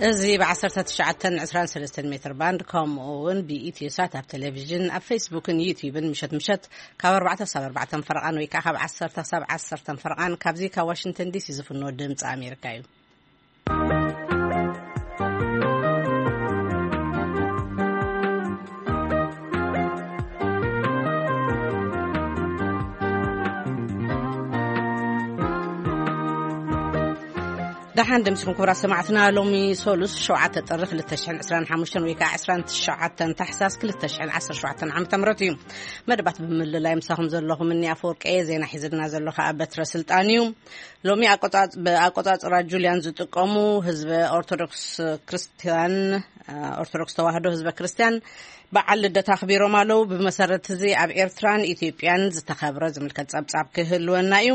እዚ ብ19 23 ሜትር ባንድ፣ ከምኡ እውን ብኢትዮ ሳት ኣብ ቴሌቪዥን፣ ኣብ ፌስቡክን ዩቲዩብን፣ ምሸት ምሸት ካብ ኣርባዕተ ክሳብ ኣርባዕተ ፈረቓን ወይ ከዓ ካብ ዓሰርተ ክሳብ ዓሰርተ ፈረቓን፣ ካብዚ ካብ ዋሽንግተን ዲሲ ዝፍኖ ድምፂ ኣሜሪካ እዩ። ደሓን ደምስኩም ክቡራት ሰማዕትና። ሎሚ ሶሉስ ሸውዓተ ጥሪ ክልተ ሽሕን ዕስራን ሓሙሽተን ወይ ከዓ ዕስራን ትሽዓተን ታሕሳስ ክልተ ሽሕን ዓሰርተ ሸውዓተን ዓመተ ምህረት እዩ። መደባት ብምልላይ ምሳኹም ዘለኹም እኒ ኣፈወርቂ እየ። ዜና ሒዝልና ዘሎ ከዓ በትረ ስልጣን እዩ። ሎሚ ኣቆጻጽ-፣ ብኣቆጻጽራ ጁልያን ዝጥቀሙ ህዝበ ኦርቶዶክስ ክርስቲያን፣ ኦርቶዶክስ ተዋህዶ ህዝበ ክርስቲያን በዓል ልደት ኣኽቢሮም ኣለዉ። ብመሰረት እዚ ኣብ ኤርትራን ኢትዮጵያን ዝተኸብረ ዝምልከት ጸብጻብ ክህልወና እዩ።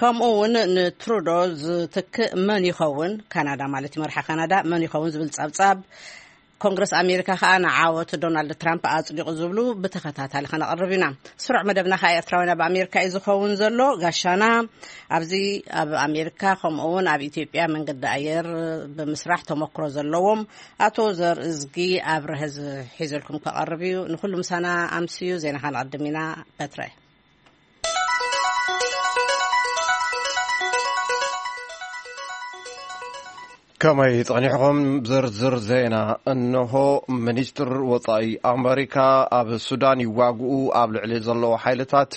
ከምኡ እውን ንትሩዶ ዝትክእ መን ይኸውን፣ ካናዳ ማለት እዩ፣ መርሓ ካናዳ መን ይኸውን ዝብል ጸብጻብ፣ ኮንግረስ ኣሜሪካ ከኣ ንዓወት ዶናልድ ትራምፕ ኣጽዲቑ ዝብሉ ብተኸታታሊ ከነቕርብ ኢና። ስሩዕ መደብና ከኣ ኤርትራውያን ኣብ ኣሜሪካ እዩ ዝኸውን ዘሎ። ጋሻና ኣብዚ ኣብ ኣሜሪካ ከምኡ እውን ኣብ ኢትዮጵያ መንገዲ ኣየር ብምስራሕ ተመክሮ ዘለዎም ኣቶ ዘርእዝጊ ኣብርሀ ዝ-፣ ሒዘልኩም ከቐርብ እዩ። ንኹሉ ምሳና ኣምስዩ። ዜና ከነቐድም ኢና። በትረ። ከመይ ጸኒሕኹም? ዝርዝር ዜና እንሆ። ሚኒስትር ወጻኢ ኣመሪካ ኣብ ሱዳን ይዋግኡ ኣብ ልዕሊ ዘለዉ ሓይልታት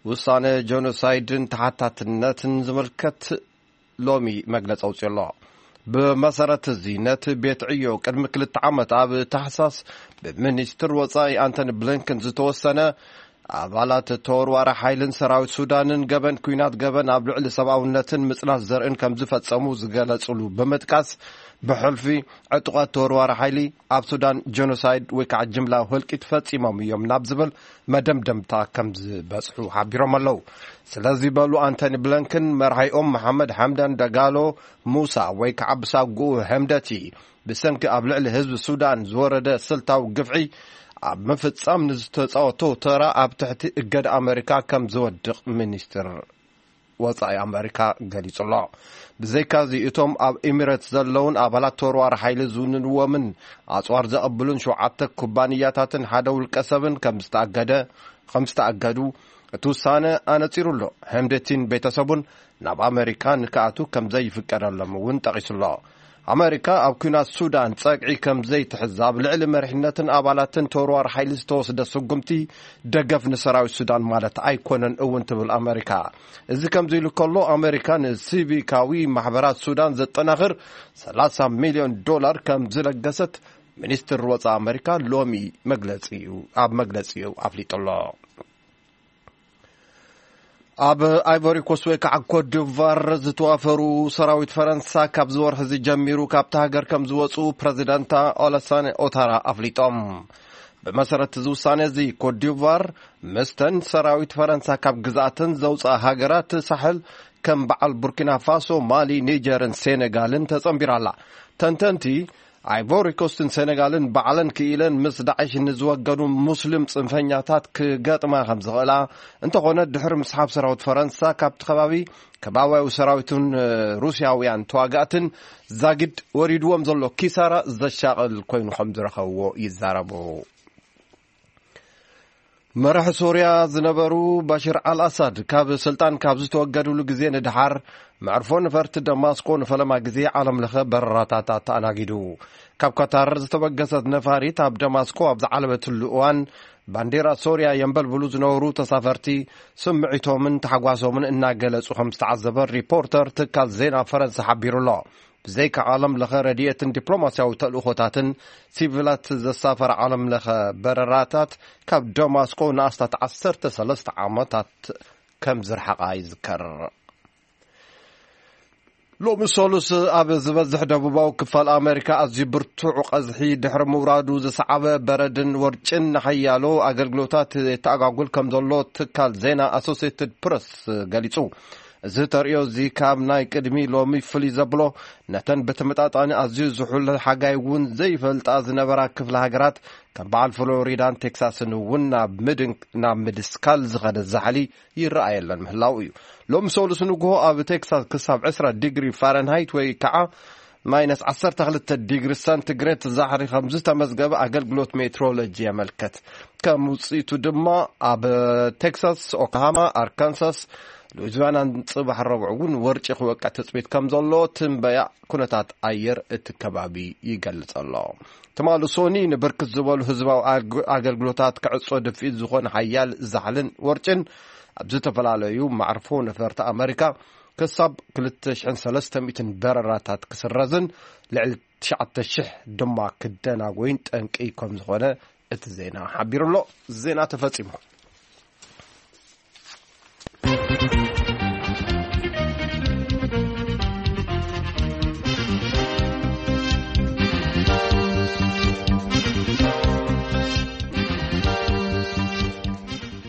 ውሳነ ጀኖሳይድን ተሓታትነትን ዝምልከት ሎሚ መግለጺ ኣውጺኡ ኣሎ። ብመሰረት እዚ፣ ነቲ ቤት ዕዮ ቅድሚ ክልተ ዓመት ኣብ ታሕሳስ ብሚኒስትር ወጻኢ ኣንቶኒ ብሊንከን ዝተወሰነ፣ ኣባላት ተወርዋሪ ሓይልን ሰራዊት ሱዳንን ገበን ኲናት፣ ገበን ኣብ ልዕሊ ሰብኣውነትን ምጽናት ዘርእን ከም ዝፈጸሙ ዝገለጽሉ ብምጥቃስ፣ ብሕልፊ ዕጡቓት ተወርዋሪ ሓይሊ ኣብ ሱዳን ጀኖሳይድ ወይ ከዓ ጅምላ ህልቂት ፈጺሞም እዮም ናብ ዝብል መደምደምታ ከም ዝበጽሑ ሓቢሮም ኣለዉ። ስለዚ በሉ፣ ኣንቶኒ ብለንክን መርሓይኦም መሓመድ ሓምዳን ደጋሎ ሙሳ ወይ ከዓ ብሳጉኡ ሕምደቲ ብሰንኪ ኣብ ልዕሊ ህዝቢ ሱዳን ዝወረደ ስልታዊ ግፍዒ ኣብ ምፍጻም ንዝተጻወቶ ተራ ኣብ ትሕቲ እገዳ ኣመሪካ ከም ዝወድቕ ሚኒስትር ወጻኢ ኣመሪካ ገሊጹ ኣሎ። ብዘይካዚ፣ እቶም ኣብ ኤሚሬትስ ዘለውን ኣባላት ተወርዋሪ ሓይሊ ዝውንንዎምን ኣጽዋር ዘቐብሉን ሸውዓተ ኩባንያታትን ሓደ ውልቀ ሰብን ከም ዝተኣገደ፣ ከም ዝተኣገዱ እቲ ውሳነ ኣነጺሩ ኣሎ። ሕምደቲን ቤተሰቡን ናብ ኣመሪካ ንክኣቱ ከም ዘይፍቀደሎም እውን ጠቒሱ ኣሎ። ኣመሪካ ኣብ ኲናት ሱዳን ጸግዒ ከም ዘይትሕዝ ኣብ ልዕሊ መሪሕነትን ኣባላትን ተወርዋሪ ሓይሊ ዝተወስደ ስጉምቲ ደገፍ ንሰራዊት ሱዳን ማለት ኣይኮነን እውን ትብል ኣመሪካ። እዚ ከምዚ ኢሉ ከሎ፣ ኣመሪካ ንሲቪካዊ ማሕበራት ሱዳን ዘጠናኽር ሰላሳ ሚልዮን ዶላር ከም ዝለገሰት ሚኒስትር ወጻኢ ኣመሪካ ሎሚ መግለጺኡ፣ ኣብ መግለጺኡ ኣፍሊጡ ኣሎ። ኣብ ኣይቮሪ ኮስት ወይ ከዓ ኮት ዲቫር ዝተዋፈሩ ሰራዊት ፈረንሳ፣ ካብ ዝወርሒ እዚ ጀሚሩ ካብቲ ሃገር ከም ዝወፁ ፕረዚደንታ ኦለሳን ኦታራ ኣፍሊጦም። ብመሰረት እዚ ውሳነ እዚ፣ ኮት ዲቫር ምስተን ሰራዊት ፈረንሳ ካብ ግዝኣተን ዘውፅኣ ሃገራት ሳሕል ከም በዓል ቡርኪና ፋሶ፣ ማሊ፣ ኒጀርን ሴኔጋልን ተፀንቢራ ኣላ። ተንተንቲ፣ ኣይቮሪ ኮስትን ሴኔጋልን ባዕለን ክኢለን ምስ ዳዕሽ ንዝወገኑ ሙስሊም ጽንፈኛታት ክገጥማ ከም ዝኽእላ፣ እንተኾነ ድሕሪ ምስሓብ ሰራዊት ፈረንሳ ካብቲ ከባቢ፣ ከባብያዊ ሰራዊትን ሩስያውያን ተዋጋእትን ዛጊድ ወሪድዎም ዘሎ ኪሳራ ዘሻቕል ኮይኑ ከም ዝረኸብዎ ይዛረቡ። መራሒ ሶርያ ዝነበሩ ባሽር ኣልኣሳድ ካብ ስልጣን ካብ ዝተወገድሉ ግዜ ንደሓር፣ መዕርፎ ነፈርቲ ደማስቆ ንፈለማ ግዜ ዓለም ለኸ በረራታት ኣተኣናጊዱ። ካብ ካታር ዝተበገሰት ነፋሪት ኣብ ደማስቆ ኣብ ዝዓለበትሉ እዋን፣ ባንዴራ ሶርያ የንበልብሉ ዝነበሩ ተሳፈርቲ፣ ስምዒቶምን ታሕጓሶምን እናገለጹ ከም ዝተዓዘበ ሪፖርተር ትካል ዜና ፈረንሳ ሓቢሩ ኣሎ። ብዘይካ ዓለም ለኸ ረድኤትን ዲፕሎማስያዊ ተልእኾታትን፣ ሲቪላት ዘሳፈራ ዓለም ለኸ በረራታት ካብ ደማስቆ ንኣስታት ዓሰርተ ሰለስተ ዓመታት ከም ዝረሓቓ ይዝከር። ሎሚ ሰሉስ፣ ኣብ ዝበዝሕ ደቡባዊ ክፋል ኣመሪካ ኣዝዩ ብርቱዕ ቀዝሒ ድሕሪ ምውራዱ ዝሰዓበ በረድን ወርጭን ንሓያሎ ኣገልግሎታት የተኣጓጉል ከም ዘሎ ትካል ዜና ኣሶሲየትድ ፕረስ ገሊጹ። እዚ ተርእዮ እዚ ካብ ናይ ቅድሚ ሎሚ ፍልይ ዘብሎ፣ ነተን ብተመጣጣኒ ኣዝዩ ዝሑል ሓጋይ እውን ዘይፈልጣ ዝነበራ ክፍለ ሃገራት ከም በዓል ፍሎሪዳን ቴክሳስን እውን ናብ ምድን-፣ ናብ ምድስካል ዝኸደ ዛሕሊ ይረኣየለን ምህላው እዩ። ሎሚ ሰሉስ ንግሆ ኣብ ቴክሳስ ክሳብ ዕስራ ዲግሪ ፋረንሃይት ወይ ከዓ ማይነስ ዓሰርተ ክልተ ዲግሪ ሰንቲግሬድ ዛሕሪ ከም ዝተመዝገበ ኣገልግሎት ሜትሮሎጂ የመልከት። ከም ውጽኢቱ ድማ ኣብ ቴክሳስ፣ ኦክላሃማ፣ ኣርካንሳስ፣ ሉዊዝያናን ጽባሕ ረቡዕ እውን ወርጪ ክወቅዕ ትጽቢት ከም ዘሎ ትንበያ ኩነታት ኣየር እቲ ከባቢ ይገልጽ ኣሎ። ትማሊ ሶኒ ንብርክት ዝበሉ ህዝባዊ ኣግ-፣ ኣገልግሎታት ክዕጾ ድፍኢት ዝኾነ ሓያል ዛሕልን ወርጭን ኣብ ዝተፈላለዩ መዕርፎ ነፈርቲ ኣመሪካ ክሳብ ክልተ ሽሕን ሰለስተ ሚእትን በረራታት ክስረዝን ልዕሊ ትሽዓተ ሽሕ ድማ ክደናጎይን ጠንቂ ከም ዝኾነ እቲ ዜና ሓቢሩ ኣሎ። ዜና ተፈጺሙ።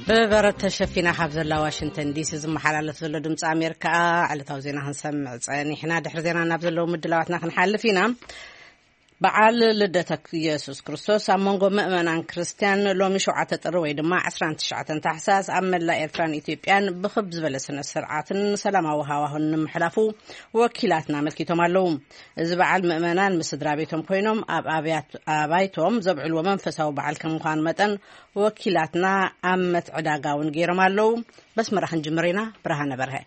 ብበረድ ተሸፊና ካብ ዘላ ዋሽንግተን ዲሲ ዝመሓላለፍ ዘሎ ድምፂ ኣሜሪካ ዕለታዊ ዜና ክንሰምዕ ፀኒሕና። ድሕሪ ዜና ናብ ዘለዉ ምድላዋትና ክንሓልፍ ኢና። በዓል ልደተ ኢየሱስ ክርስቶስ ኣብ መንጎ ምእመናን ክርስትያን ሎሚ ሸውዓተ ጥሪ ወይ ድማ ዕስራን ትሽዓተን ታሕሳስ ኣብ መላእ ኤርትራን ኢትዮጵያን ብኽብ ዝበለ ስነ ስርዓትን ሰላማዊ ሃዋሁን ንምሕላፉ ወኪላትና ኣመልኪቶም ኣለዉ። እዚ በዓል ምእመናን ምስ ስድራ ቤቶም ኮይኖም ኣብ ኣብያት-፣ ኣባይቶም ዘብዕልዎ መንፈሳዊ በዓል ከም ምዃኑ መጠን ወኪላትና ኣብ መትዕዳጋ እውን ገይሮም ኣለዉ። በስመራ ክንጅምር ኢና። ብርሃነ በርሀ።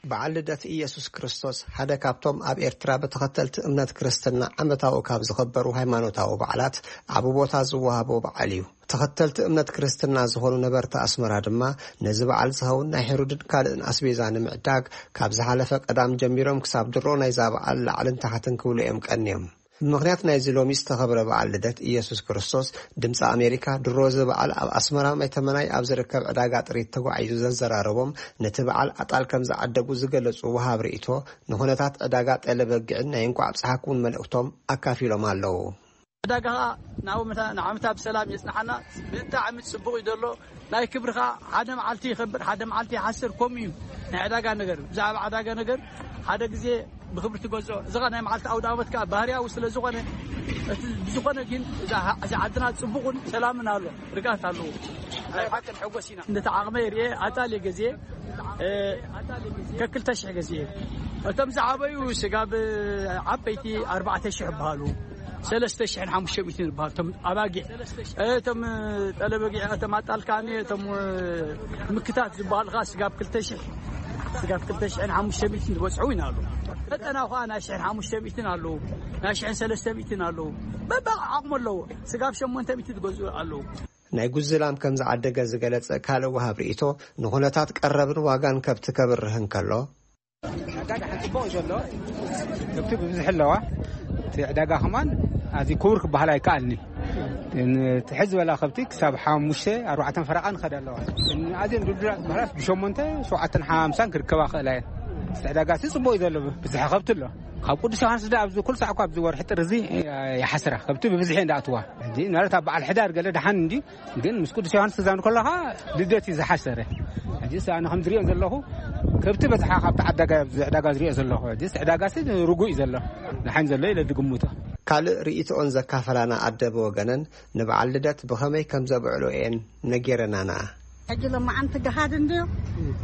በዓል ልደት ኢየሱስ ክርስቶስ ሓደ ካብቶም ኣብ ኤርትራ ብተኸተልቲ እምነት ክርስትና ዓመታዊ ካብ ዝኽበሩ ሃይማኖታዊ በዓላት ዓቢ ቦታ ዝወሃቦ በዓል እዩ። ተኸተልቲ እምነት ክርስትና ዝኾኑ ነበርቲ ኣስመራ ድማ ነዚ በዓል ዝኸውን ናይ ሕሩድን ካልእን ኣስቤዛ ንምዕዳግ ካብ ዝሓለፈ ቀዳም ጀሚሮም ክሳብ ድሮ ናይዛ በዓል ላዕልን ታሕትን ክብሉ እዮም ቀንዮም። ብምኽንያት ናይዚ ሎሚ ዝተኸብረ በዓል ልደት ኢየሱስ ክርስቶስ፣ ድምፂ ኣሜሪካ ድሮ እዚ በዓል ኣብ ኣስመራ ማይተመናይ ኣብ ዝርከብ ዕዳጋ ጥሪት ተጓዒዙ ዘዘራረቦም፣ ነቲ በዓል ኣጣል ከም ዝዓደጉ ዝገለጹ ወሃብ ርእይቶ፣ ንኹነታት ዕዳጋ ጠለ በጊዕን ናይ እንኳዕ ኣብፀሓኩም መልእኽቶም ኣካፊሎም ኣለዉ። ዕዳጋ ኸዓ ናብ መታ-፣ ንዓመታ ብሰላም የጽንሓና። ብጣዕሚ ጽቡቕ እዩ ዘሎ። ናይ ክብሪ ኸዓ ሓደ መዓልቲ ይኸብር፣ ሓደ መዓልቲ ይሓስር፣ ከምኡ እዩ ናይ ዕዳጋ ነገር። ብዛዕባ ዕዳጋ ነገር ሓደ ግዜ ብኽብሪ ትገዝኦ። እዚ ኸዓ ናይ መዓልቲ ኣውደ ዓመት ከኣ ባህርያዊ ስለ ዝኾነ፣ እቲ ብዝኾነ ግን እዛ፣ እዚ ዓድና ጽቡቕን ሰላምን ኣሎ፣ ርግኣት ኣለዎ። ናይ ሓቂ ንሕጎስ ኢና። እንደ ዓቕመይ ርኤ ኣጣል እየ ገዝየ፣ እ፣ ከክልተ ሽሕ ገዝየ። እቶም ዝዓበዩ ስጋብ ዓበይቲ ኣርባዕተ ሽሕ ይበሃሉ። ሰለስተ ሽሕን ሓሙሽተ ሚእትን ዝበሃል እቶም ኣባጊዕ፣ እቶም ጠለበጊዕ፣ እቶም ኣጣልካኒ፣ እቶም ምክታት ዝበሃሉ ኸዓ ስጋብ ክልተ ሽሕ፣ ስጋብ ክልተ ሽሕን ሓሙሽተ ሚእትን ዝበጽሑ ኢና ኣለዉ። መጠና ኸዓ ናይ ሽሕን ሓሙሽተ ሚእትን ኣለዉ፣ ናይ ሽሕን ሰለስተ ሚእትን ኣለዉ። በበ ዓቕሙ ኣለዎ። ስጋብ ሸሞንተ ሚእቲ ዝገዝኡ ኣለዉ። ናይ ጉዝላም ከም ዝዓደገ ዝገለጸ ካልእ ወሃብ ርእይቶ፣ ንኹነታት ቀረብን ዋጋን ከብቲ ከብርህ እንከሎ፣ ዕዳጋ ሓንቲ ጽቡቕ እዩ ዘሎ። ከብቲ ብብዝሒ ኣለዋ። እቲ ዕዳጋ ከማን ኣዝዩ ክቡር ክበሃል ኣይከኣልኒ። እቲ ሕዚ ዝበላ ከብቲ ክሳብ ሓሙሽተ ኣርባዕተን ፈረቓ ንኸዳ ኣለዋ። እተን ኣዝየን ድልዱላት ዝበሃላስ ብሸሞንተ፣ ሸውዓተን ሓምሳን ክርከባ ክእላ እየን። እቲ ዕዳጋ ሲ ጽቡቕ እዩ ዘሎ፣ ብዝሒ ከብቲ ኣሎ። ካብ ቅዱስ ዮሃንስ ዳ ኣብዚ ኩሉ ሳዕ እኳ ኣብዚ ወርሒ ጥሪ እዚ ይሓስራ፣ ከብቲ ብብዝሒ እየን ዝኣትዋ። ሕጂ ማለት ኣብ በዓል ሕዳር ገለ ደሓን እንድዩ፣ ግን ምስ ቅዱስ ዮሃንስ ክዛን ከለኻ ልደት እዩ ዝሓሰረ። ሕጂስ ኣነ ከም ዝሪኦ ዘለኹ ከብቲ በዝሓ ካብቲ ዓዳጋ፣ ኣብዚ ዕዳጋ ዝሪኦ ዘለኹ። ሕጂስ ዕዳጋሲ ርጉእ እዩ ዘሎ። ደሓን ዘሎ ኢለ ዝግምቶ። ካልእ ርእይቶኦን ዘካፈላና ኣደ ብወገነን ንበዓል ልደት ብኸመይ ከም ዘብዕሎ እየን ነጊረናና። ሕጂ ሎማዓንቲ ገሃድ እንድዩ።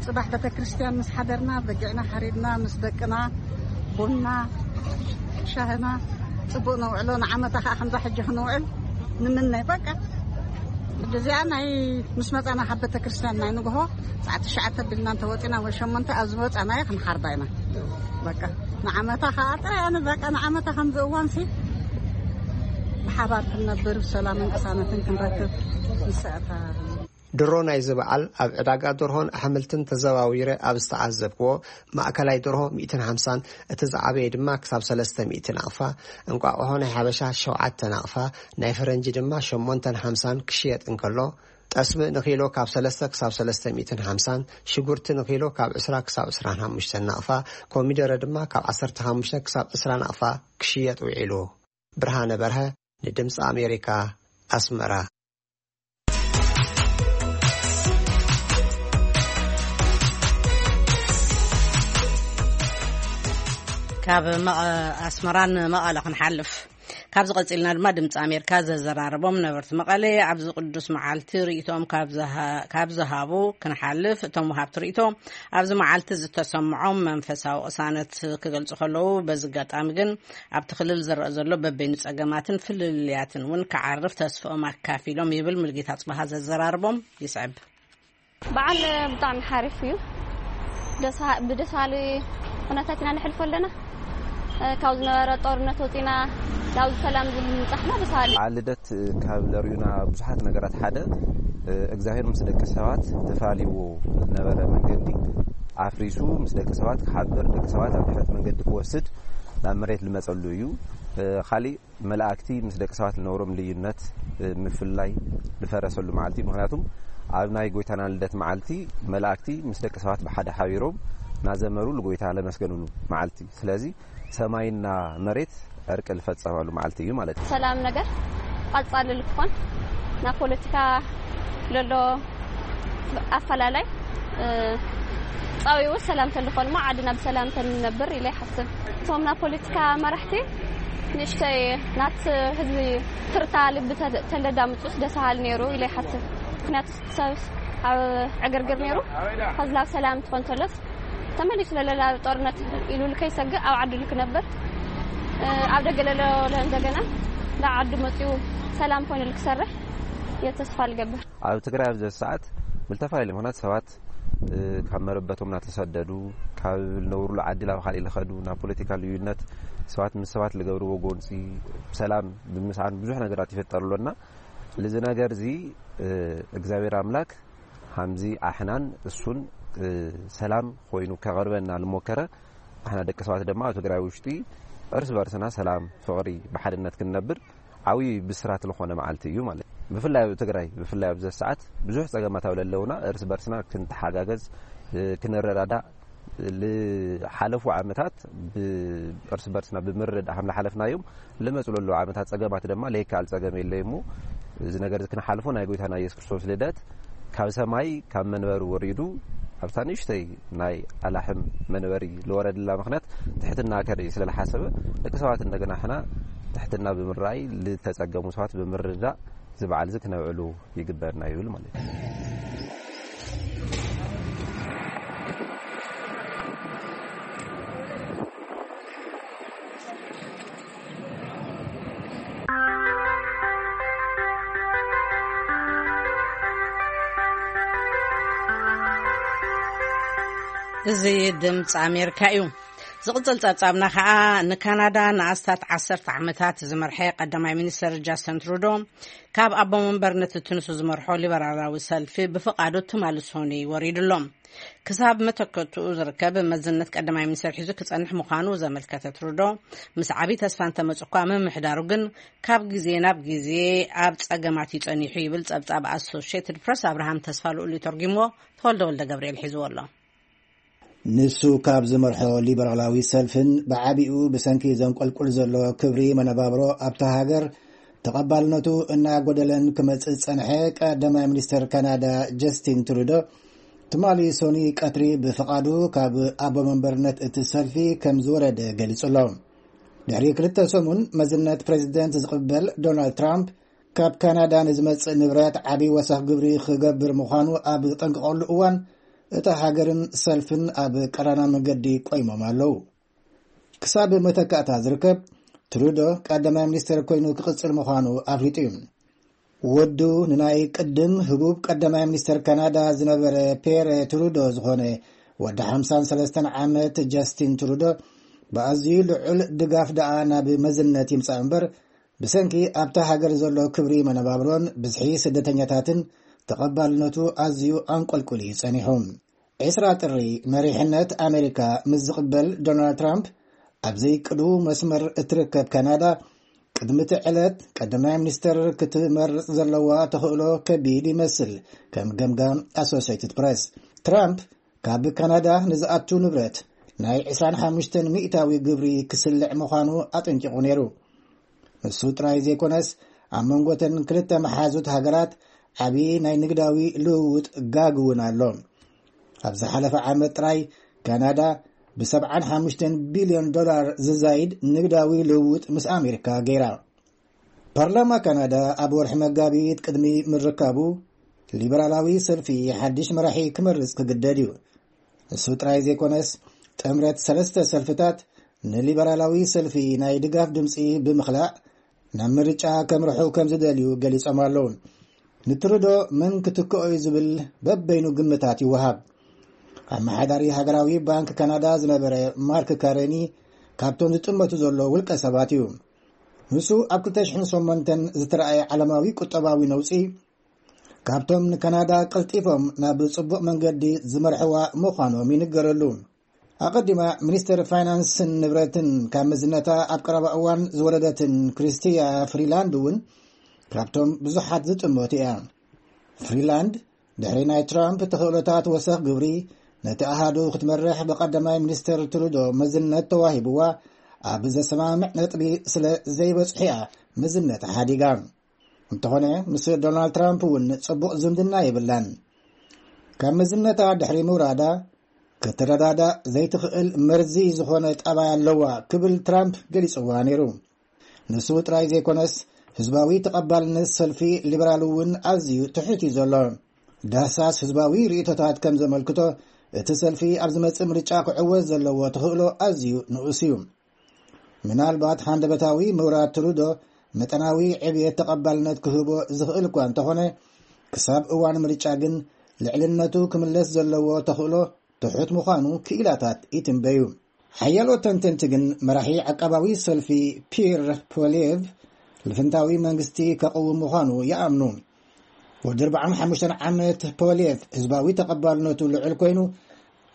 ጽባሕ ቤተክርስትያን ምስ ሓደርና፣ በጊዕና ሓሪድና፣ ምስ ደቅና፣ ቡና፣ ሻህና፣ ጽቡቕ ነውዕሎ። ንዓመታ ኸዓ ከምዛ ሕጂ ክንውዕል ንምነ። በቃ፣ ሕጂ እዚኣ ናይ ምስ መጻና ካብ ቤተክርስትያን ናይ ንግሆ ሰዓት ትሽዓተ ቢልና እንተወጺና ወይ ሸሞንተ ኣብ ዝመጻናዮ ክንሓርዳ ኢና። በቃ፣ ንዓመታ ኸዓ ጥራይ ኣነ በቃ፣ ንዓመታ ከምዚ እዋንሲ ብሓባር ክንነብር፣ ሰላምን ቅሳነትን ክንረክብ ንስዕታ። ድሮ ናይዚ በዓል ኣብ ዕዳጋ ደርሆን ኣሕምልትን ተዘዋዊረ ኣብ ዝተዓዘብክዎ፣ ማእከላይ ደርሆ ሚእትን ሓምሳን፣ እቲ ዝዓበየ ድማ ክሳብ ሰለስተ ሚእቲ ናቕፋ፣ እንቋቑሖ ናይ ሓበሻ ሸውዓተ ናቕፋ፣ ናይ ፈረንጂ ድማ ሸሞንተን ሓምሳን ክሽየጥ እንከሎ፣ ጠስሚ ንኪሎ ካብ ሰለስተ ክሳብ ሰለስተ ሚእትን ሓምሳን፣ ሽጉርቲ ንኪሎ ካብ ዕስራ ክሳብ ዕስራን ሓሙሽተን ናቕፋ፣ ኮሚደረ ድማ ካብ ዓሰርተ ሓሙሽተ ክሳብ ዕስራ ናቕፋ ክሽየጥ ውዒሉ። ብርሃነ በርሀ፣ ንድምፂ ኣሜሪካ፣ ኣስመራ። ካብ መቐ-፣ ኣስመራ ንመቐለ ክንሓልፍ። ካብዚ ቀጺልና ድማ ድምፂ ኣሜሪካ ዘዘራረቦም ነበርቲ መቐለ ኣብዚ ቅዱስ መዓልቲ ርእይቶኦም ካብ ዝሃ-፣ ካብ ዝሃቡ ክንሓልፍ፣ እቶም ወሃብቲ ርእይቶ ኣብዚ መዓልቲ ዝተሰምዖም መንፈሳዊ ቅሳነት ክገልጹ ከለዉ፣ በዚ ኣጋጣሚ ግን ኣብቲ ክልል ዝረአ ዘሎ በበይኑ ጸገማትን ፍልልያትን እውን ክዓርፍ ተስፍኦም ኣካፊሎም ይብል ሙልጌታ ጽባሃ ዘዘራርቦም ይስዕብ። በዓል ብጣዕሚ ሓሪፍ እዩ። ደስ-፣ ብደስ በሃሊ ኩነታት ኢና ነሕልፎ ኣለና። ካብ ዝነበረ ጦርነት ወፂና ናብ ሰላም ዝምፃሕና ደስ በሃሊ። በዓል ልደት ካብ ለርእዩና ብዙሓት ነገራት ሓደ፣ እግዚኣብሔር ምስ ደቂ ሰባት ተፋልይዎ ዝነበረ መንገዲ ኣፍሪሱ ምስ ደቂ ሰባት ክሓብር፣ ደቂ ሰባት ኣብ ድሕረት መንገዲ ክወስድ ናብ መሬት ዝመፀሉ እዩ። ካሊእ መላእክቲ ምስ ደቂ ሰባት ዝነበሮም ልዩነት፣ እ፣ ምፍላይ ዝፈረሰሉ መዓልቲ እዩ። ምኽንያቱም ኣብ ናይ ጎይታና ልደት መዓልቲ መላእክቲ ምስ ደቂ ሰባት ብሓደ ሓቢሮም እናዘመሩ ንጎይታ ለመስገኑሉ መዓልቲ እዩ። ስለዚ ሰማይና መሬት ዕርቂ ዝፈጸመሉ መዓልቲ እዩ ማለት እዩ። ሰላም ነገር ቀጻሊ ልክኾን ናብ ፖለቲካ ለሎ ኣፈላላይ፣ እ፣ ጻዊቡ ሰላም ተልኾን እሞ ዓድና ብሰላም ተንነብር ኢለ ይሓስብ። እቶም ናይ ፖለቲካ መራሕቲ ንእሽተይ ናት ህዝቢ ትርታ ልቢ ተ-፣ ተለዳምጹስ ደስ በሃሊ ነይሩ ኢለ ይሓስብ። ምኽንያቱ ሰብ ኣብ ዕግርግር ነይሩ። ኸዚ ናብ ሰላም ትኾን ተሎስ ተመሊሱ ለለላ ጦርነት ኢሉ ልከይሰግእ ኣብ ዓዱ ልክነብር፣ እ፣ ኣብ ደገ ለሎ እንደገና ናብ ዓዱ መጺኡ ሰላም ኮይኑ ልክሰርሕ እየ ተስፋ ልገብር። ኣብ ትግራይ ኣብዚ ሰዓት ብልተፈላለዩ ምኽንያት ሰባት፣ እ፣ ካብ መረበቶም እናተሰደዱ፣ ካብ ዝነብሩሉ ዓዲ ናብ ካሊእ ልኸዱ፣ ናብ ፖለቲካ ልዩነት፣ ሰባት ምስ ሰባት ልገብርዎ ጎንፂ፣ ሰላም ብምስዓን ብዙሕ ነገራት ይፈጠር ኣሎና። ልዚ ነገር እዚ፣ እ፣ እግዚኣብሔር ኣምላክ ሃምዚ ኣሕናን እሱን፣ እ፣ ሰላም ኮይኑ ከቕርበና ልሞከረ፣ ኣሕና ደቂ ሰባት ድማ ኣብ ትግራይ ውሽጢ እርስ በርስና ሰላም፣ ፍቕሪ፣ ብሓድነት ክንነብር ዓብዪ ብስራት ልኾነ መዓልቲ እዩ ማለት እዩ። ብፍላይ ኣብ ትግራይ፣ ብፍላይ ኣብዚ ሰዓት ብዙሕ ጸገማት ኣብ ለለውና እርስ በርስና ክንተሓጋገዝ፣ እ፣ ክንረዳዳእ፣ ልሓለፉ ዓመታት ብ-፣ እርስ በርስና ብምርድዳእ ከም ልሓለፍናዮም ልመጹ ለለዉ ዓመታት ጸገማት ድማ ለይከኣል ጸገም የለይ እሞ እዚ ነገር እዚ ክንሓልፎ ናይ ጎይታና ኢየሱስ ክርስቶስ ልደት ካብ ሰማይ ካብ መንበሪ ወሪዱ ኣብታ ንእሽተይ ናይ ኣላሕም መንበሪ ልወረድላ ምኽንያት ትሕትና ከርኢ ስለ ልሓሰበ ደቂ ሰባት እንደገና ሕና ትሕትና ብምርኣይ ልተጸገሙ ሰባት ብምርዳእ እዚ በዓል እዚ ክነብዕሉ ይግበርና ይብል ማለት እዩ። እዚ ድምፂ ኣሜሪካ እዩ። ዝቕጽል ጸብጻብና ኸኣ ንካናዳ ንኣስታት ዓሰርተ ዓመታት ዝመርሐ ቀዳማይ ሚኒስተር ጃስትን ትሩዶ ካብ ኣቦ መንበርነት እቲ ንሱ ዝመርሖ ሊበራላዊ ሰልፊ ብፍቓዱ ትማሊ ሶኒ ወሪዱ ኣሎ። ክሳብ መተከትኡ ዝርከብ መዝነት ቀዳማይ ሚኒስተር ሒዙ ክጸንሕ ምዃኑ ዘመልከተ ትሩዶ፣ ምስ ዓቢ ተስፋ እንተመጹ እኳ ምምሕዳሩ ግን ካብ ግዜ ናብ ግዜ ኣብ ጸገማት እዩ ጸኒሑ ይብል ጸብጻብ ኣሶሽየትድ ፕረስ። ኣብርሃም ተስፋ ልኡል እዩ ተርጒምዎ። ተወልደ ወልደ ገብርኤል ሒዝዎ ኣሎ። ንሱ ካብ ዝመርሖ ሊበራላዊ ሰልፍን ብዓቢኡ ብሰንኪ ዘንቆልቁል ዘሎ ክብሪ መነባብሮ ኣብታ ሃገር ተቐባልነቱ እናጎደለን ክመጽእ ዝጸንሐ ቀዳማይ ሚኒስተር ካናዳ ጀስቲን ትሩዶ ትማሊ ሶኒ ቀትሪ ብፍቓዱ ካብ ኣቦ መንበርነት እቲ ሰልፊ ከም ዝወረደ ገሊጹ ኣሎ። ድሕሪ ክልተ ሰሙን መዝነት ፕሬዚደንት ዝቕበል ዶናልድ ትራምፕ ካብ ካናዳ ንዝመጽእ ንብረት ዓቢ ወሰኽ ግብሪ ክገብር ምዃኑ ኣብ ዝጠንቀቐሉ እዋን እታ ሃገርን ሰልፍን ኣብ ቀራና መንገዲ ቆይሞም ኣለዉ። ክሳብ መተካእታ ዝርከብ ትሩዶ ቀዳማይ ሚኒስተር ኮይኑ ክቕጽል ምዃኑ ኣፍሊጡ እዩ። ወዱ ንናይ ቅድም ህቡብ ቀዳማይ ሚኒስተር ካናዳ ዝነበረ ፔረ ትሩዶ ዝኾነ ወዲ ሓምሳን ሰለስተን ዓመት ጀስቲን ትሩዶ ብኣዝዩ ልዑል ድጋፍ ደኣ ናብ መዝነት ይምጻእ እምበር ብሰንኪ ኣብታ ሃገር ዘሎ ክብሪ መነባብሮን ብዝሒ ስደተኛታትን ተቐባልነቱ ኣዝዩ ኣንቆልቁል እዩ ጸኒሑ። ዕስራ ጥሪ መሪሕነት ኣሜሪካ ምስ ዝቕበል ዶናልድ ትራምፕ ኣብ ዘይቅዱ መስመር እትርከብ ካናዳ ቅድሚ እቲ ዕለት ቀዳማይ ሚኒስተር ክትመርጽ ዘለዋ ተኽእሎ ከቢድ ይመስል። ከም ገምጋም ኣሶሲየትድ ፕረስ ትራምፕ ካብ ካናዳ ንዝኣቱ ንብረት ናይ ዕስራን ሓሙሽተን ሚእታዊ ግብሪ ክስልዕ ምዃኑ ኣጠንቂቑ ነይሩ። ንሱ ጥራይ ዘይኮነስ ኣብ መንጎተን ክልተ መሓዙት ሃገራት ዓቢ ናይ ንግዳዊ ልውውጥ ጋግ እውን ኣሎ። ኣብ ዝሓለፈ ዓመት ጥራይ ካናዳ ብሰብዓን ሓሙሽተን ቢልዮን ዶላር ዝዛይድ ንግዳዊ ልውውጥ ምስ ኣሜሪካ ገይራ። ፓርላማ ካናዳ ኣብ ወርሒ መጋቢት ቅድሚ ምርካቡ፣ ሊበራላዊ ሰልፊ ሓድሽ መራሒ ክመርጽ ክግደድ እዩ። እሱ ጥራይ ዘይኮነስ፣ ጥምረት ሰለስተ ሰልፍታት ንሊበራላዊ ሰልፊ ናይ ድጋፍ ድምጺ ብምኽላእ ናብ ምርጫ ከምርሑ ከም ዝደልዩ ገሊጾም ኣለዉ። ንትሩዶ መን ክትክኦ እዩ ዝብል በበይኑ ግምታት ይወሃብ። ኣመሓዳሪ ሃገራዊ ባንክ ካናዳ ዝነበረ ማርክ ካረኒ ካብቶም ዝጥመቱ ዘሎ ውልቀ ሰባት እዩ። ንሱ ኣብ ክልተ ሽሕን ሸሞንተን ዝተረኣየ ዓለማዊ ቁጠባዊ ነውጺ፣ ካብቶም ንካናዳ ቀልጢፎም ናብ ጽቡቕ መንገዲ ዝመርሕዋ ምዃኖም ይንገረሉ። ኣቐዲማ ሚኒስተር ፋይናንስን ንብረትን ካብ መዝነታ ኣብ ቀረባ እዋን ዝወረደትን ክሪስቲያ ፍሪላንድ እውን ካብቶም ብዙሓት ዝጥመቱ እያ። ፍሪላንድ ድሕሪ ናይ ትራምፕ ተኽእሎታት ወሰኽ ግብሪ ነቲ ኣሃዱ ክትመርሕ ብቐዳማይ ሚኒስተር ትሩዶ መዝነት ተዋሂብዋ ኣብ ዘሰማምዕ ነጥቢ ስለ ዘይበጽሑ እያ መዝነታ ሓዲጋ። እንተኾነ ምስ ዶናልድ ትራምፕ እውን ጽቡቕ ዝምድና የብላን። ካብ መዝነታ ድሕሪ ምውራዳ ክትረዳዳእ ዘይትኽእል መርዚ ዝኾነ ጠባይ ኣለዋ ክብል ትራምፕ ገሊጽዋ ነይሩ። ንሱ ጥራይ ዘይኮነስ ህዝባዊ ተቐባልነት ሰልፊ ሊበራል እውን ኣዝዩ ትሑት እዩ ዘሎ። ዳህሳስ ህዝባዊ ርእይቶታት ከም ዘመልክቶ እቲ ሰልፊ ኣብ ዝመጽእ ምርጫ ክዕወት ዘለዎ ተኽእሎ ኣዝዩ ንኡስ እዩ። ምናልባት ሃንደበታዊ ምውራድ ትሩዶ መጠናዊ ዕብየት ተቐባልነት ክህቦ ዝኽእል እኳ እንተኾነ፣ ክሳብ እዋን ምርጫ ግን ልዕልነቱ ክምለስ ዘለዎ ተኽእሎ ትሑት ምዃኑ ክኢላታት ይትንበዩ። ሓያሎ ተንተንቲ ግን መራሒ ዓቃባዊ ሰልፊ ፒር ፖሊየቭ ልፍንታዊ መንግስቲ ከቕውም ምዃኑ ይኣምኑ። ወዲ ኣርባዓን ሓሙሽተን ዓመት ፖሊየቭ ህዝባዊ ተቐባልነቱ ልዑል ኮይኑ፣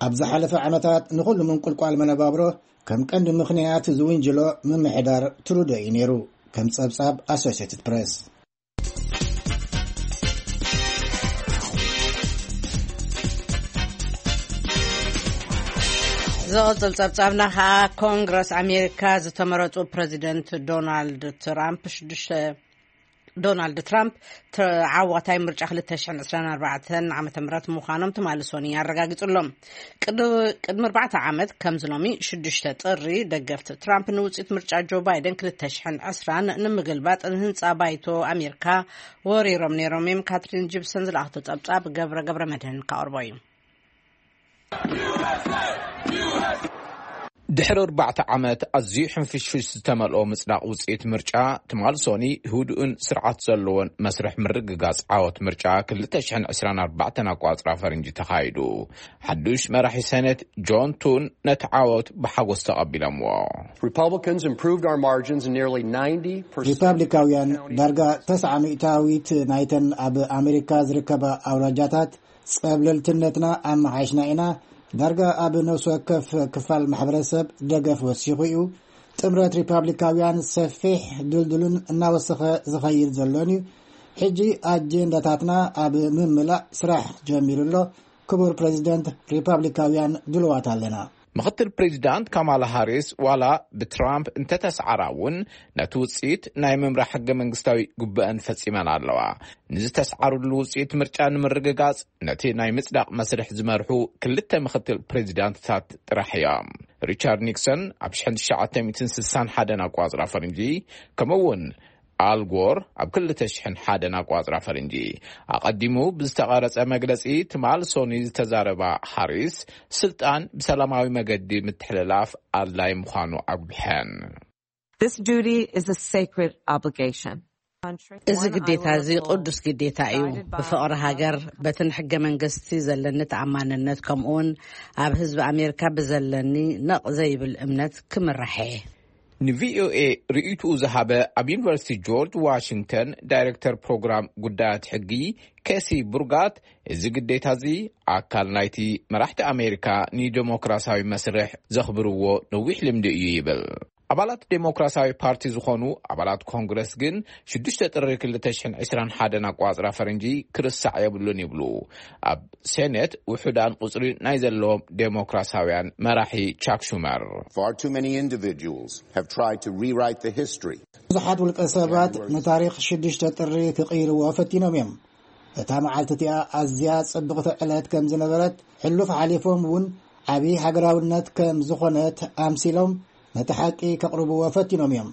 ኣብ ዝሓለፈ ዓመታት ንኹሉ ምንቁልቋል መነባብሮ ከም ቀንዲ ምኽንያት ዝውንጅሎ ምምሕዳር ትሩዶ እዩ ነይሩ፣ ከም ጸብጻብ ኣሶሽትድ ፕሬስ። ዝቕጽል ጸብጻብና ኸኣ፣ ኮንግረስ ኣሜሪካ ዝተመረጹ ፕረዚደንት ዶናልድ ትራምፕ ሽዱሽተ ዶናልድ ትራምፕ ተዓዋታይ ምርጫ ክልተ ሽሕን ዕስራን ኣርባዕተን ዓመተ ምህረት ምዃኖም ትማሊ ሶኒ ኣረጋጊጹ ኣሎ። ቅድ- ቅድሚ ኣርባዕተ ዓመት ከምዚ ሎሚ ሽዱሽተ ጥሪ፣ ደገፍቲ ትራምፕ ንውጽኢት ምርጫ ጆ ባይደን ክልተ ሽሕን ዕስራን ንምግልባጥ ንህንጻ ባይቶ ኣሜሪካ ወሪሮም ነይሮም እዮም። ካትሪን ጂፕሰን ዝለኣኽቶ ጸብጻብ ገብረ ገብረ መድህን ካቕርቦ እዩ። ድሕሪ ኣርባዕተ ዓመት ኣዝዩ ሕንፍሽፍሽ ዝተመልኦ ምጽዳቕ ውጽኢት ምርጫ፣ ትማል ሶኒ ህዱእን ስርዓት ዘለዎን መስርሕ ምርግጋጽ ዓወት ምርጫ ክልተ ሽሕን ዕስራን ኣርባዕተን ኣቋጽራ ፈረንጂ ተኻይዱ። ሓዱሽ መራሒ ሰነት ጆን ቱን ነቲ ዓወት ብሓጎስ ተቐቢሎምዎ። Republicans improved our margins in nearly ninety percent. ሪፓብሊካውያን ዳርጋ ተስዓ ሚእታዊት ናይተን ኣብ ኣሜሪካ ዝርከባ ኣውራጃታት ጸብለልትነትና ኣመሓይሽና ኢና። ዳርጋ ኣብ ነፍሲ ወከፍ ክፋል ማሕበረሰብ ደገፍ ወሲኹ እዩ። ጥምረት ሪፓብሊካውያን ሰፊሕ፣ ድልዱልን እናወሰኸ ዝኸይድ ዘሎን እዩ። ሕጂ ኣጀንዳታትና ኣብ ምምላእ ስራሕ ጀሚሩ ኣሎ። ክቡር ፕሬዚደንት፣ ሪፓብሊካውያን ድሉዋት ኣለና። ምኽትል ፕሬዚዳንት ካማላ ሃሪስ ዋላ ብትራምፕ እንተተሰዓራ እውን፣ ነቲ ውፅኢት ናይ ምምራሕ ሕገ መንግስታዊ ግቡአን ፈፂመን ኣለዋ። ንዝተሰዓርሉ ውፅኢት ምርጫ ንምርግጋፅ ነቲ ናይ ምፅዳቕ መስርሕ ዝመርሑ ክልተ ምኽትል ፕሬዚዳንትታት ጥራሕ እዮም። ሪቻርድ ኒክሰን ኣብ ሽሕን ትሽዓተ ሚእትን ስሳን ሓደን ኣቋፅራ ፈረንጂ፣ ከምኡ እውን ኣልጎር ኣብ ክልተ ሽሕን ሓደን ኣቋፅራ ፈረንጂ። ኣቐዲሙ ብዝተቐረጸ መግለጺ፣ ትማል ሶኒ ዝተዛረባ ሃሪስ፣ ስልጣን ብሰላማዊ መገዲ ምትሕልላፍ ኣድላይ ምዃኑ ኣጉሊሐን። This duty is a sacred obligation. እዚ ግዴታ እዚ ቅዱስ ግዴታ እዩ። ብፍቕሪ ሃገር፣ በቲ ንሕገ መንግስቲ ዘለኒ ተኣማንነት፣ ከምኡውን ኣብ ህዝቢ ኣሜሪካ ብዘለኒ ነቕ ዘይብል እምነት ክምራሕ እየ። ንቪኦኤ ርእይትኡ ዝሃበ ኣብ ዩኒቨርሲቲ ጆርጅ ዋሽንግተን ዳይሬክተር ፕሮግራም ጉዳያት ሕጊ ኬሲ ቡርጋት፣ እዚ ግዴታ እዚ ኣካል ናይቲ መራሕቲ ኣሜሪካ ንዴሞክራሲያዊ መስርሕ ዘኽብርዎ ነዊሕ ልምዲ እዩ ይብል። ኣባላት ዴሞክራሲያዊ ፓርቲ ዝኾኑ ኣባላት ኮንግረስ ግን ሽዱሽተ ጥሪ ክልተ ሽሕን ዕስራን ሓደን ኣቋጽራ ፈረንጂ ክርሳዕ የብሉን ይብሉ ኣብ ሴኔት ውሑዳን ቁጽሪ ናይ ዘለዎም ዴሞክራሲያውያን መራሒ ቻክ ሹመር። Far too many individuals have tried to rewrite the history. ብዙሓት ውልቀ ሰባት ንታሪኽ ሽዱሽተ ጥሪ ክቕይርዎ ፈቲኖም እዮም። እታ መዓልቲ እቲኣ ኣዝያ ጽብቕቲ ዕለት ከም ዝነበረት፣ ሕሉፍ ሓሊፎም እውን ዓቢ ሃገራውነት ከም ዝኾነት ኣምሲሎም ነቲ ሓቂ ከቕርብዎ ፈቲኖም እዮም።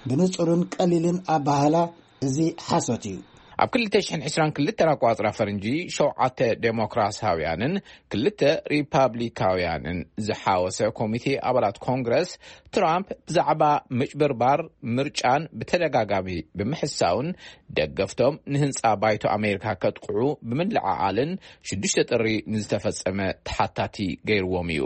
ብንጹርን ቀሊልን ኣባህላ፣ እዚ ሓሶት እዩ። ኣብ ክልተ ሽሕን ዕስራን ክልተን ኣቋጽራ ፈረንጂ፣ ሸውዓተ ዴሞክራሲያውያንን ክልተ ሪፓብሊካውያንን ዝሓወሰ ኮሚቴ ኣባላት ኮንግረስ፣ ትራምፕ ብዛዕባ ምጭብርባር ምርጫን ብተደጋጋሚ ብምሕሳውን፣ ደገፍቶም ንህንጻ ባይቶ ኣሜሪካ ከጥቅዑ ብምልዕዓልን ሽዱሽተ ጥሪ ንዝተፈጸመ ተሓታቲ ገይርዎም እዩ።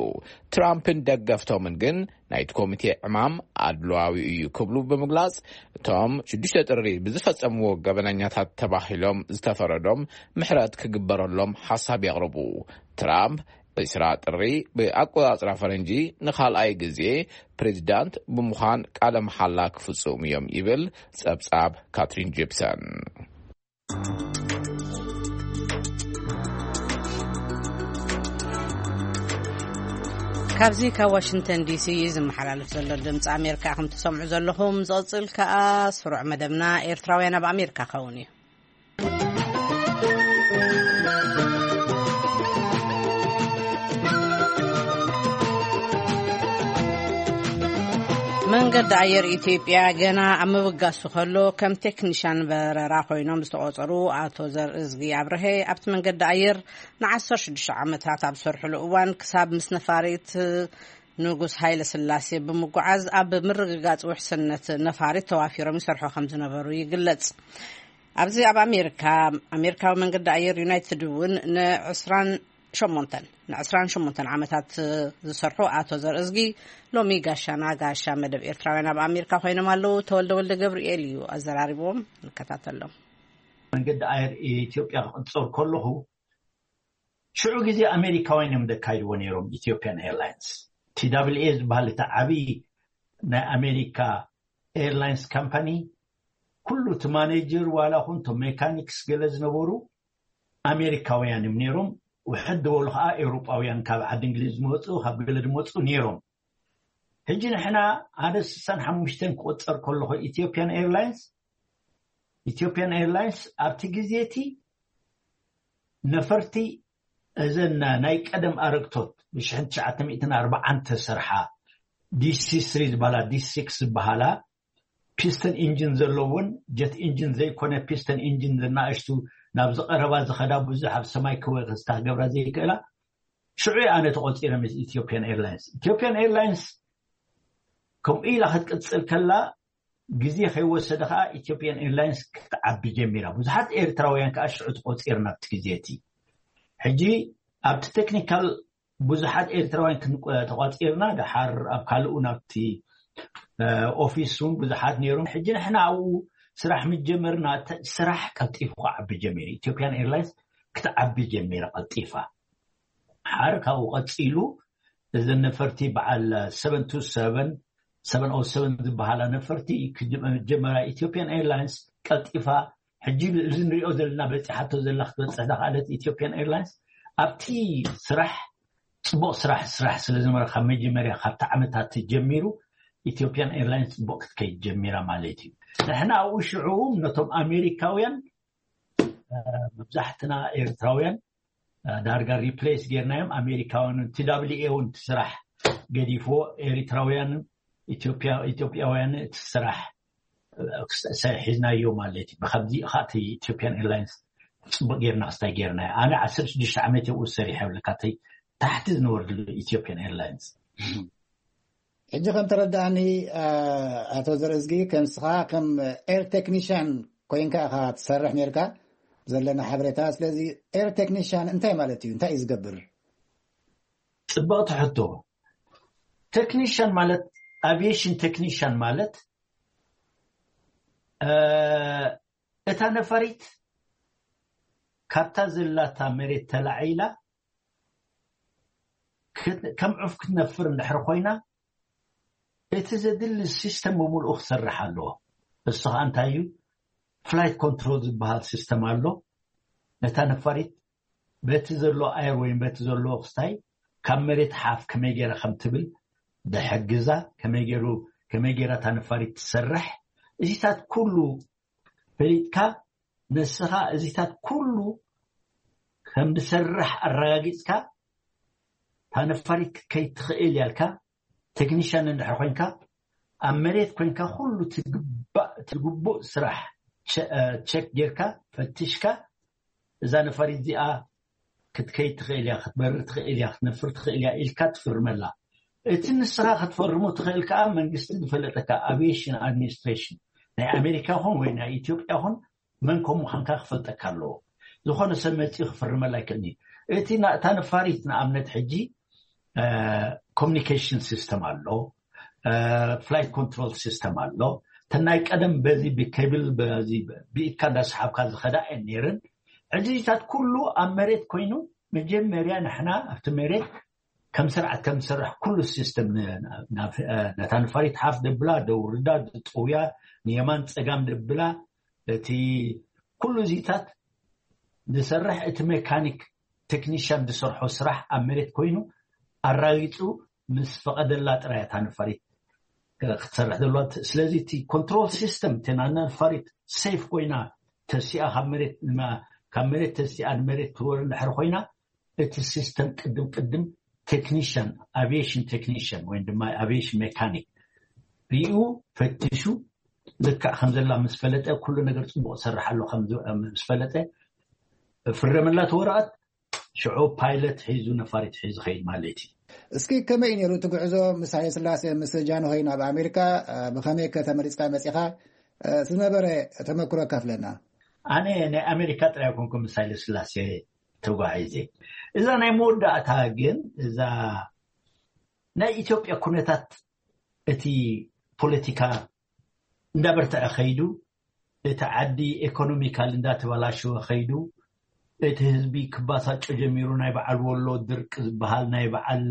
ትራምፕን ደገፍቶምን ግን ናይቲ ኮሚቴ ዕማም ኣድልዋዊ እዩ ክብሉ ብምግላጽ፣ እቶም ሽዱሽተ ጥሪ ብዝፈጸምዎ ገበነኛታት ተባሂሎም ዝተፈረዶም ምሕረት ክግበረሎም ሓሳብ የቕርቡ። ትራምፕ ዕስራ ጥሪ ብኣቆጻጽራ ፈረንጂ ንኻልኣይ ግዜ ፕሬዚዳንት ብምዃን ቃለ መሓላ ክፍጽሙ እዮም ይብል ጸብጻብ ካትሪን ጂፕሰን። ካብዚ ካብ ዋሽንግተን ዲሲ ዝመሓላለፍ ዘሎ ድምፂ ኣሜሪካ ኢኹም ትሰምዑ ዘለኹም። ዝቕፅል ከኣ ስሩዕ መደብና ኤርትራውያን ኣብ ኣሜሪካ ክኸውን እዩ። መንገዲ ኣየር ኢትዮጵያ ገና ኣብ ምብጋሱ ከሎ፣ ከም ቴክኒሻን በረራ ኮይኖም ዝተቖጸሩ ኣቶ ዘርእዝጊ ኣብርሀ፣ ኣብቲ መንገዲ ኣየር ንዓሰርተ ሽዱሽተ ዓመታት ኣብ ዝሰርሕሉ እዋን፣ ክሳብ ምስ ነፋሪት ንጉስ ሃይለ ስላሴ ብምጉዓዝ፣ ኣብ ምርግጋጽ ውሕስነት ነፋሪት ተዋፊሮም ይሰርሑ ከም ዝነበሩ ይግለጽ። ኣብዚ ኣብ ኣሜሪካ፣ ኣሜሪካዊ መንገዲ ኣየር ዩናይትድ እውን ንዕስራን ሸሞንተን፣ ንዕስራን ሸሞንተን ዓመታት ዝሰርሑ ኣቶ ዘርእዝጊ፣ ሎሚ ጋሻና፣ ጋሻ መደብ ኤርትራውያን ኣብ ኣሜሪካ ኮይኖም ኣለዉ። ተወልደ ወልደ ገብርኤል እዩ ኣዘራሪብዎም። ንከታተሎም። መንገዲ ኣየር ኢትዮጵያ ክቕጸር ከለኹ፣ ሽዑ ግዜ ኣሜሪካውያን እዮም ዘካይድዎ ነይሮም። ኢትዮጵያን ኤርላይንስ፣ ቲ ደብሊው ኤ ዝበሃል እቲ ዓብዪ ናይ ኣሜሪካ ኤርላይንስ ካምፓኒ፣ ኩሉ እቲ ማኔጀር፣ ዋላ ኹን እቶም ሜካኒክስ ገለ ዝነበሩ ኣሜሪካውያን እዮም ነይሮም። ውሕድ ዝበሉ ኸዓ ኤውሮጳውያን፣ ካብ ዓዲ እንግሊዝ ዝመፁ፣ ካብ ገለ ዝመፁ ነይሮም። ሕጂ ንሕና ሓደ ስሳን ሓሙሽተን ክቆፀር ከለኹ፣ ኢትዮጵያን ኤርላይንስ፣ ኢትዮጵያን ኤርላይንስ ኣብቲ ግዜ እቲ ነፈርቲ፣ እዘን ናይ ቀደም ኣረግቶት፣ ብሽሕን ትሽዓተ ሚእትን ኣርባዓን ተሰርሓ፣ ዲ ሲ ስሪ ዝበሃላ፣ ዲ ሲክስ ዝበሃላ፣ ፒስተን ኢንጂን ዘለውን ጀት ኢንጂን ዘይኮነ፣ ፒስተን ኢንጂን፣ ዝናእሽቱ፣ ናብ ዝቐረባ ዝኸዳ፣ ብዙሕ ኣብ ሰማይ ክወ-፣ ክስታ ክገብራ ዘይክእላ፣ ሽዑ ኣነ ተቖጺረ ምስ ኢትዮጵያን ኤርላይንስ። ኢትዮጵያን ኤርላይንስ ከምኡ ኢላ ክትቅጽል ከላ፣ ግዜ ከይወሰደ ከኣ ኢትዮጵያን ኤርላይንስ ክትዓቢ ጀሚራ። ብዙሓት ኤርትራውያን ከኣ ሽዑ ተቖጺርና ኣብቲ ግዜ እቲ። ሕጂ ኣብቲ ቴክኒካል ብዙሓት ኤርትራውያን ክንቆ-፣ ተቋጺርና፣ ደሓር ኣብ ካልኡ ናብቲ፣ እ፣ ኦፊስ እውን ብዙሓት ነይሮም። ሕጂ ንሕና ኣብኡ ስራሕ ምስ ጀመርና፣ ተ-፣ ስራሕ ቀልጢፉ ክዓቢ ጀሚሩ። ኢትዮጵያን ኤርላይንስ ክትዓቢ ጀሚራ ቀልጢፋ። ሓር ካብኡ ቀጺሉ፣ እዘን ነፈርቲ በዓል ሰቨን ቱ ሰቨን፣ ሰቨን ኦ ሰቨን ዝበሃላ ነፈርቲ ክጅ-፣ ጀመራ። ኢትዮጵያን ኤርላይንስ ቀልጢፋ፣ ሕጂ እዚ ንሪኦ ዘለና፣ በፂሓቶ ዘላ፣ ክትበፅሕ ዝኸኣለት ኢትዮጵያን ኤርላይንስ፣ ኣብቲ ስራሕ፣ ፅቡቕ ስራሕ፣ ስራሕ ስለ ዝነበረ፣ ካብ መጀመርያ፣ ካብቲ ዓመታት ጀሚሩ፣ ኢትዮጵያን ኤርላይንስ ፅቡቕ ክትከይድ ጀሚራ ማለት እዩ። ንሕና ኣብኡ ሽዑ ነቶም ኣሜሪካውያን፣ እ፣ መብዛሕትና ኤርትራውያን፣ እ፣ ዳርጋ ሪፕሌስ ጌርናዮም። ኣሜሪካውያን እውን፣ ቲ ደብሊው ኤ እውን እቲ ስራሕ ገዲፍዎ፣ ኤርትራውያን፣ ኢትዮጵያ-፣ ኢትዮጵያውያን እቲ ስራሕ፣ እ፣ ሒዝናዮ ማለት እዩ። ብከምዚ ከዓ እቲ ኢትዮጵያን ኤርላይንስ ጽቡቅ ጌርና ክስታይ ጌርናዮ። ኣነ ዓሰርተ ሽዱሽተ ዓመት ኣብኡ ሰሪሐ፣ ይብለካ፣ እቲ ታሕቲ ዝነበርሉ ኢትዮጵያን ኤርላይንስ። ሕጂ ከም ተረዳእኒ፣ እ፣ ኣቶ ዘርእዝጊ፣ ከም ንስኻ ከም ኤር ቴክኒሽያን ኮይንካ ኢኻ ትሰርሕ ኔርካ፣ ዘለና ሓበሬታ። ስለዚ ኤር ቴክኒሽያን እንታይ ማለት እዩ? እንታይ እዩ ዝገብር? ጽብቕቲ ሕቶ። ቴክኒሽያን ማለት፣ ኣቪዬሽን ቴክኒሽያን ማለት፣ እ፣ እታ ነፋሪት ካብታ ዘላታ መሬት ተላዒላ ክት-፣ ከም ዑፍ ክትነፍር እንድሕር ኮይና፣ እቲ ዘድሊ ሲስተም ብምልኡ ክሰርሕ ኣለዎ። እሱ ኸኣ እንታይ እዩ? ፍላይት ኮንትሮል ዝበሃል ሲስተም ኣሎ። ነታ ነፋሪት በቲ ዘሎ ኣየር ወይም በቲ ዘሎ ክስታይ ካብ መሬት ሓፍ ከመይ ገይራ ከም ትብል ዝሕግዛ፣ ከመይ ገይሩ፣ ከመይ ገይራ እታ ነፋሪት ትሰርሕ፣ እዚታት ኩሉ ፈሊጥካ፣ ንስኻ እዚታት ኩሉ ከም ዝሰርሕ ኣረጋጊጽካ፣ እታ ነፋሪት ክትከይድ ትኽእል እያ ኢልካ፣ ቴክኒሽያን እንድሕር ኮይንካ፣ ኣብ መሬት ኮንካ ኩሉ ትግባእ ትግቡእ ስራሕ ቸ- እ፣ ቸክ ጌርካ ፈትሽካ፣ እዛ ነፋሪት እዚኣ ክትከይድ ትኽእል እያ፣ ክትበርር ትኽእል እያ፣ ክትነፍር ትኽእል እያ ኢልካ ትፍርመላ። እቲ ንስኻ ክትፈርሞ ትኽእል ከዓ መንግስቲ ዝፈለጠካ፣ ኣቪዬሽን ኣድሚኒስትሬሽን ናይ ኣሜሪካ ይኹን ወይ ናይ ኢትዮጵያ ይኹን፣ መን ከም ምዃንካ ክፈልጠካ ኣለዎ። ዝኾነ ሰብ መፂኡ ክፍርመላ ኣይክእልን እዩ። እቲ ና- እታ ነፋሪት ንኣብነት ሕጂ ኮሚኒኬሽን ሲስተም ኣሎ፣ ፍላይት ኮንትሮል ሲስተም ኣሎ። ተናይ ቀደም በዚ ብኬብል በዚ ብኢድካ እንዳሰሓብካ ዝኸዳ እየን ነይረን። ሕጂታት ኩሉ ኣብ መሬት ኮይኑ፣ መጀመርያ ንሕና ኣብቲ መሬት ከም ስርዓት ከም ዝሰርሕ ኩሉ ሲስተም ን- ናብ- ነታ ነፋሪት ሓፍ ደብላ፣ ደውርዳ፣ ድጥውያ፣ ንየማን ፀጋም ደብላ፣ እቲ ኩሉ እዚታት ዝሰርሕ እቲ ሜካኒክ ቴክኒሽያን ዝሰርሖ ስራሕ ኣብ መሬት ኮይኑ ኣራጊፁ ምስ ፈቐደላ ጥራይ እታ ነፋሪት ክትሰርሕ ዘለዋ። ስለዚ እቲ ኮንትሮል ሲስተም እተና ነፋሪት ሴፍ ኮይና ተሲኣ ካብ መሬት ንማ- ካብ መሬት ተሲኣ ንመሬት ትወር እንድሕር ኮይና፣ እቲ ሲስተም ቅድም ቅድም ቴክኒሽያን፣ ኣቪዬሽን ቴክኒሽያን ወይ ድማ ኣቪዬሽን ሜካኒክ ሪኡ ፈትሹ፣ ልክዕ ከም ዘላ ምስ ፈለጠ፣ ኩሉ ነገር ፅቡቅ ሰርሕ ኣሎ ከም ዝ- ምስ ፈለጠ፣ ፍረመላ እቲ ወረቐት። ሽዑ ፓይለት ሒዙ፣ ነፋሪት ሒዙ ኸይድ ማለት እዩ። እስኪ ከመይ ነይሩ እቲ ጉዕዞ ምስ ሃይለ ስላሴ፣ ምስ ጃንሆይ ናብ ኣሜሪካ? ብኸመይ ከ ተመሪፅካ መፂኻ? ዝነበረ ተመክሮ ካፍለና። ኣነ ናይ ኣሜሪካ ጥራይ ኮንኩ ምስ ሃይለ ስላሴ ተጓዒዘ። እዛ ናይ መወዳእታ ግን፣ እዛ ናይ ኢትዮጵያ ኩነታት፣ እቲ ፖለቲካ እንዳበርተዐ ኸይዱ፣ እቲ ዓዲ ኤኮኖሚካል እንዳተበላሸወ ኸይዱ፣ እቲ ህዝቢ ክባሳጮ ጀሚሩ። ናይ በዓል ወሎ ድርቅ ዝበሃል፣ ናይ በዓል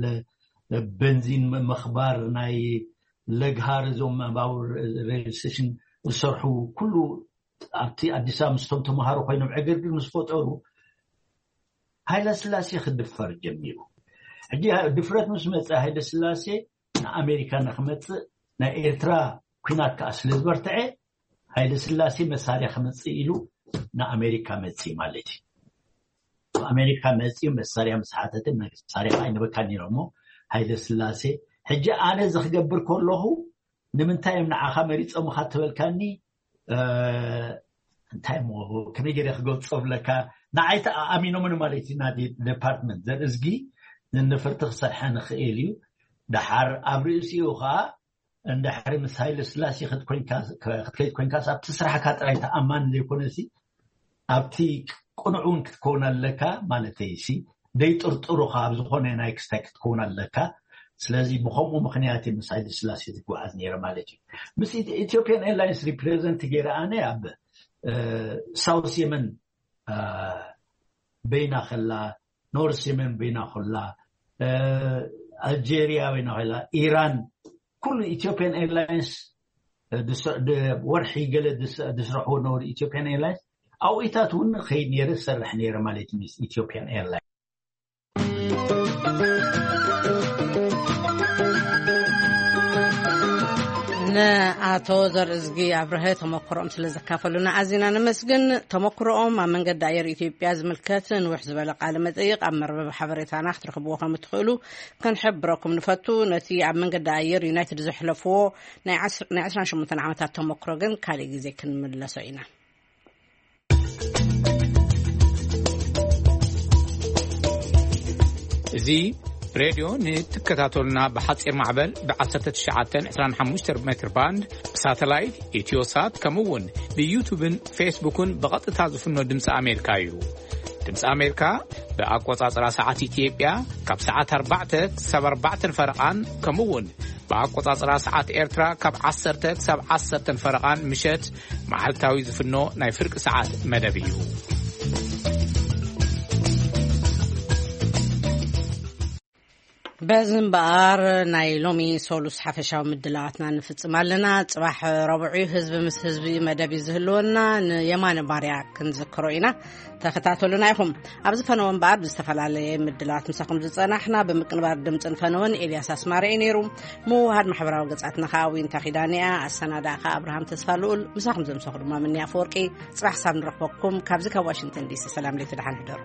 በንዚን ምኽባር፣ ናይ ለግሃር፣ እዞም ባቡር ሬል ስቴሽን ዝሰርሑ ኩሉ ኣብቲ ኣዲስ ኣበባ ምስቶም ተምሃሮ ኮይኖም ዕግርግር ምስ ፈጠሩ፣ ሃይለ ስላሴ ክድፈር ጀሚሩ። ሕጂ ድፍረት ምስ መፀ፣ ሃይለ ስላሴ ንኣሜሪካ ንክመፅእ፣ ናይ ኤርትራ ኩናት ከዓ ስለ ዝበርትዐ፣ ሃይለ ስላሴ መሳርያ ክመፅእ ኢሉ ንኣሜሪካ መፅእ ማለት እዩ። ኣሜሪካ መፅኡ መሳርያ ምስ ሓተተ፣ መሳርያ ኣይነበካን ኢሎሞ። ሃይለ ስላሴ፣ ሕጂ ኣነ እዚ ክገብር ከለኹ ንምንታይ እዮም ንዓኻ መሪፆምኻ ትበልካኒ? እንታይ ሞ ከመይ ገይረ ክገልፆ ብለካ? ንዓይ ተኣሚኖምን ማለት እዩ። ና ዲፓርትመንት ዘርእዝጊ ንንፍርቲ ክሰርሐ ንኽእል እዩ። ደሓር ኣብ ርእሲኡ ከዓ እንድሕሪ ምስ ሃይለ ስላሴ ክትከይድ ኮይንካስ ኣብቲ ስራሕካ ጥራይ ተኣማኒ ዘይኮነሲ፣ ኣብቲ ቅኑዕ እውን ክትከውን ኣለካ ማለተይ ሲ፣ ደይጥርጥሩኻ ኣብ ዝኾነ ናይ ክስታይ ክትከውን ኣለካ። ስለዚ ብኸምኡ ምኽንያት ምስ ሃይለ ስላሴ ዝጓዓዝ ነይረ ማለት እዩ። ምስ ኢትዮጵያን ኤርላይንስ ሪፕሬዘንት ገይረ ኣነ ኣብ ሳውስ የመን በይና ከላ፣ ኖርስ የመን በይና ከላ፣ ኣልጀሪያ በይና ከላ፣ ኢራን፣ ኩሉ ኢትዮጵያን ኤርላይንስ ወርሒ ገለ ዝስረሕዎ ነበሩ። ኢትዮጵያን ኤርላይንስ ኣብኢታት እውን ኸይድ ነይረ፣ ዝሰርሕ ነይረ ማለት እዩ ምስ ኢትዮጵያን ኤርላይንስ። ንኣቶ ዘርእዝጊ ኣብርሀ ተመክሮኦም ስለ ዘካፈሉና ኣዚና ነመስግን። ተመክሮኦም ኣብ መንገዲ ኣየር ኢትዮጵያ ዝምልከት ንውሕ ዝበለ ቃለ መጠይቕ ኣብ መርበብ ሓበሬታና ክትረኽብዎ ከም እትኽእሉ ክንሕብረኩም ንፈቱ። ነቲ ኣብ መንገዲ ኣየር ዩናይትድ ዘሕለፍዎ ናይ ዓስር- ናይ ዕስራን ሸሞንተን ዓመታት ተመክሮ ግን ካልእ ግዜ ክንምለሶ ኢና። እዚ ሬድዮ ንትከታተሉና ብሓፂር ማዕበል ብ ዓሰርተ ትሽዓተን ዕስራን ሓሙሽተን ሜትር ባንድ፣ ብሳተላይት፣ ኢትዮሳት፣ ከምኡ እውን ብዩቱብን ፌስቡክን ብቐጥታ ዝፍኖ ድምፂ ኣሜሪካ እዩ። ድምፂ ኣሜሪካ ብኣቆፃፅራ ሰዓት ኢትዮጵያ ካብ ሰዓት ኣርባዕተ ክሳብ ኣርባዕተን ፈረቓን፣ ከምኡ እውን ብኣቆፃፅራ ሰዓት ኤርትራ ካብ ዓሰርተ ክሳብ ዓሰርተን ፈረቓን ምሸት መዓልታዊ ዝፍኖ ናይ ፍርቂ ሰዓት መደብ እዩ። በዚ እምበኣር ናይ ሎሚ ሶሉስ ሓፈሻዊ ምድላዋትና ንፍጽም ኣለና። ጽባሕ ረቡዕ እዩ፣ ህዝቢ ምስ ህዝቢ መደብ እዩ ዝህልወና። ንየማነ ባርያ ክንዝክሮ ኢና። ተኸታተሉና ኢኹም። ኣብ ዝፈነወ እምበኣር ብዝተፈላለየ ምድላዋት ምሳኹም ዝጸናሕና፣ ብምቅንባር ድምጽን ፈነወን ኤልያስ ኣስማረ እዩ ነይሩ። ምውሃድ ማሕበራዊ ገጻትና ከኣ ዊንታ ኪዳነ እያ። ኣሰናዳእካ ኣብርሃም ተስፋ ልኡል፣ ምሳኹም ዘምሰኹ ድማ ምንያ ኣፈወርቂ። ጽባሕ ሳብ ንረኽበኩም። ካብዚ ካብ ዋሽንግተን ዲሲ ሰላም ለይቲ ደሓን ሕደሩ።